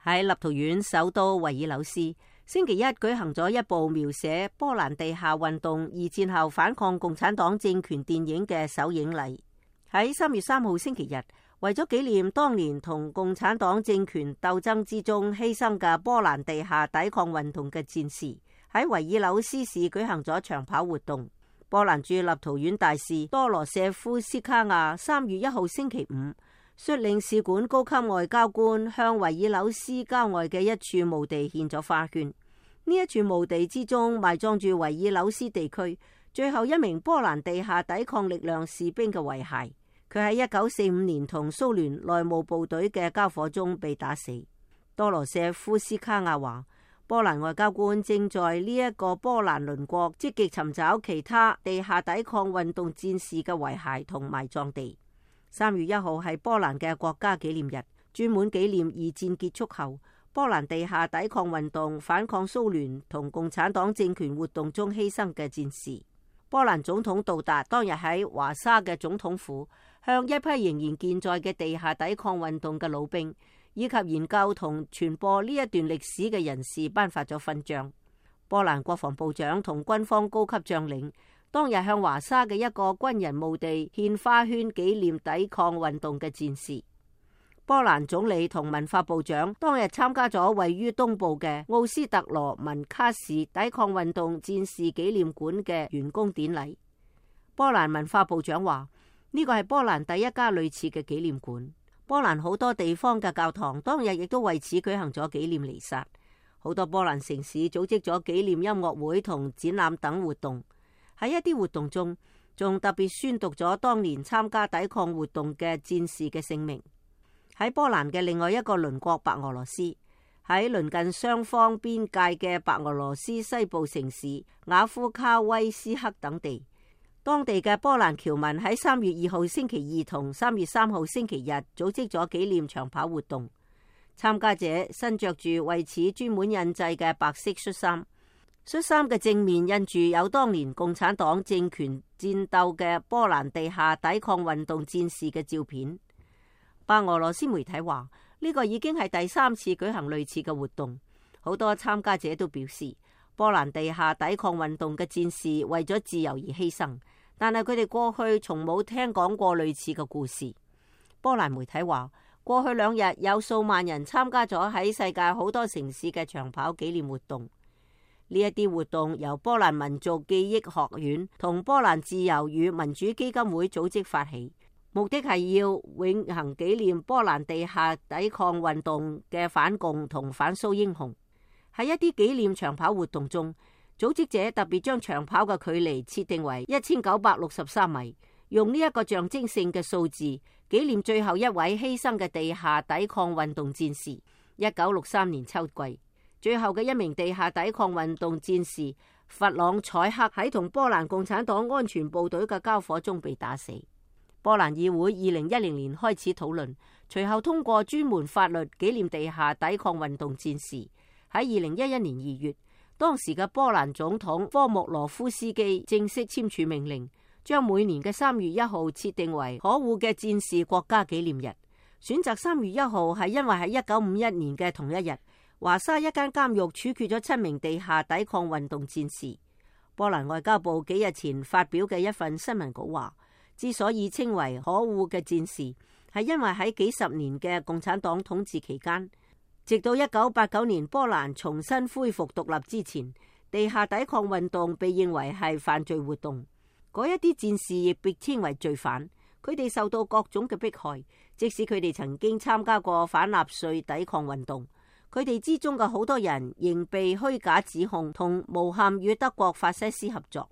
喺立陶宛首都維爾紐斯，星期一舉行咗一部描寫波蘭地下運動二戰後反抗共產黨政權電影嘅首映禮。喺3月3號星期日，為咗紀念當年同共產黨政權鬥爭之中犧牲嘅波蘭地下抵抗運動嘅戰士，喺維爾紐斯市舉行咗長跑活動。波蘭駐立陶宛大使多羅舍夫斯卡亞3月1號星期五率領使館高級外交官向維爾紐斯郊外嘅一處墓地獻咗花圈。呢一處墓地之中埋葬住維爾紐斯地區最後一名波蘭地下抵抗力量士兵嘅遺骸。佢喺1945年同蘇聯內務部隊嘅交火中被打死。多羅舍夫斯卡亞話，波蘭外交官正在呢一個波蘭鄰國積極尋找其他地下抵抗運動戰士嘅遺骸同埋葬地。3月1號係波蘭嘅國家紀念日，專門紀念二戰結束後波蘭地下抵抗運動反抗蘇聯同共產黨政權活動中犧牲嘅戰士。波蘭總統杜達當日喺華沙嘅總統府向一批仍然健在嘅地下抵抗運動嘅老兵以及研究同傳播呢一段歷史嘅人士頒發咗勳章。波蘭國防部長同軍方高級將領當日向華沙嘅一個軍人墓地獻花圈紀念抵抗運動嘅戰士。波蘭總理同文化部長當日參加咗位於東部嘅奧斯特羅文卡市抵抗運動戰士紀念館嘅完工典禮。波蘭文化部長話，呢個係波蘭第一家類似嘅紀念館。波蘭好多地方嘅教堂當日亦都為此舉行咗紀念彌撒。好多波蘭城市組織咗紀念音樂會同展覽等活動。喺一啲活動中，仲特別宣讀咗當年參加抵抗活動嘅戰士嘅姓名。喺波蘭嘅另外一個鄰國白俄羅斯，喺鄰近雙方邊界嘅白俄羅斯西部城市雅夫卡威斯克等地，當地嘅波蘭僑民喺3月2號星期二同3月3號星期日組織咗紀念長跑活動。參加者身着住為此專門印製嘅白色恤衫，恤衫嘅正面印住有當年共產黨政權戰鬥嘅波蘭地下抵抗運動戰士嘅照片。白俄羅斯媒體話，呢個已經係第3次舉行類似嘅活動。好多參加者都表示，波蘭地下抵抗運動嘅戰士為咗自由而犧牲，但係佢哋過去從冇聽講過類似嘅故事。波蘭媒體話，過去2日有數萬人參加咗喺世界好多城市嘅長跑紀念活動。呢一啲活動由波蘭民族記憶學院同波蘭自由與民主基金會組織發起。目的係要永恆紀念波蘭地下抵抗運動嘅反共同反蘇英雄。喺一啲紀念長跑活動中，組織者特別將長跑嘅距離設定為1963米，用呢一個象徵性嘅數字紀念最後一位犧牲嘅地下抵抗運動戰士。1963年秋季，最後嘅一名地下抵抗運動戰士弗朗采克喺同波蘭共產黨安全部隊嘅交火中被打死。波蘭議會2010年開始討論，隨後通過專門法律紀念地下抵抗運動戰士。喺2011年2月，當時嘅波蘭總統科莫羅夫斯基正式簽署命令，將每年嘅3月1號設定為可惡嘅戰士國家紀念日。選擇3月1號係因為喺1951年嘅同一日，華沙一間監獄處決咗7名地下抵抗運動戰士。波蘭外交部幾日前發表嘅一份新聞稿話，之所以稱為可惡嘅戰士，係因為喺幾十年嘅共產黨統治期間，直到1989年波蘭重新恢復獨立之前，地下抵抗運動被認為係犯罪活動。嗰一啲戰士亦被稱為罪犯，佢哋受到各種嘅迫害，即使佢哋曾經參加過反納粹抵抗運動。佢哋之中嘅好多人仍被虛假指控同誣陷與德國法西斯合作。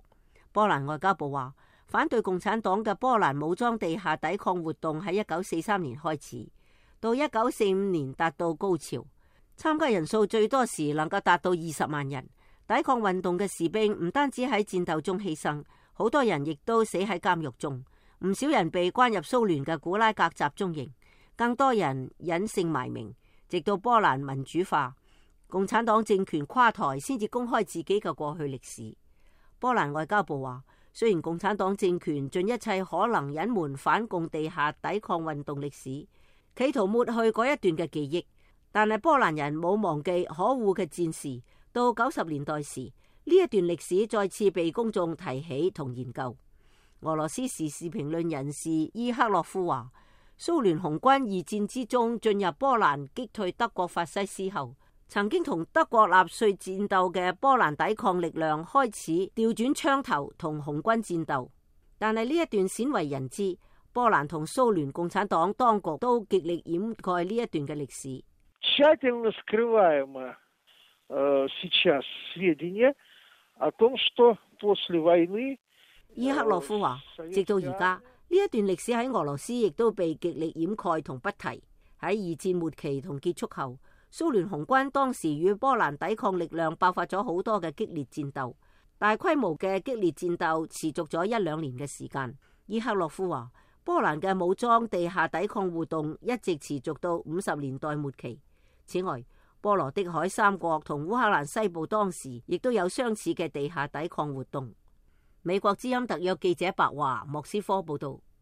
波蘭外交部話，反對共產黨嘅波蘭武裝地下抵抗活動喺1943年開始，到1945年達到高潮，參加人數最多時能夠達到20萬人。抵抗運動嘅士兵唔單止喺戰鬥中犧牲，好多人亦都死喺監獄中，唔少人被關入蘇聯嘅古拉格集中營，更多人隱姓埋名，直到波蘭民主化，共產黨政權垮台先至公開自己嘅過去歷史。波蘭外交部話，雖然共產黨政權盡一切可能隱瞞反共地下抵抗運動歷史，企圖抹去嗰一段嘅記憶，但係波蘭人冇忘記可惡嘅戰事。到90年代時，呢一段歷史再次被公眾提起同研究。俄羅斯時事評論人士伊克洛夫話，蘇聯紅軍二戰之中進入波蘭擊退德國法西斯後，曾經同德國納粹戰鬥嘅波蘭抵抗力量開始調轉槍頭同紅軍戰鬥。但係呢一段鮮為人知，波蘭同蘇聯共產黨當局都極力掩蓋呢一段嘅歷史。тщательно скрываемо сейчас сведения о том, что после войны。伊克洛夫話，直到而家呢一段歷史喺俄羅斯亦都被極力掩蓋同不提。喺二戰末期同結束後，蘇聯紅軍當時與波蘭抵抗力量爆發咗好多嘅激烈戰鬥，大規模嘅激烈戰鬥持續咗1-2年嘅時間。伊克洛夫話，波蘭嘅武裝地下抵抗活動一直持續到50年代末期。此外，波羅的海三國同烏克蘭西部當時亦都有相似嘅地下抵抗活動。美國之音特約記者白華莫斯科報道。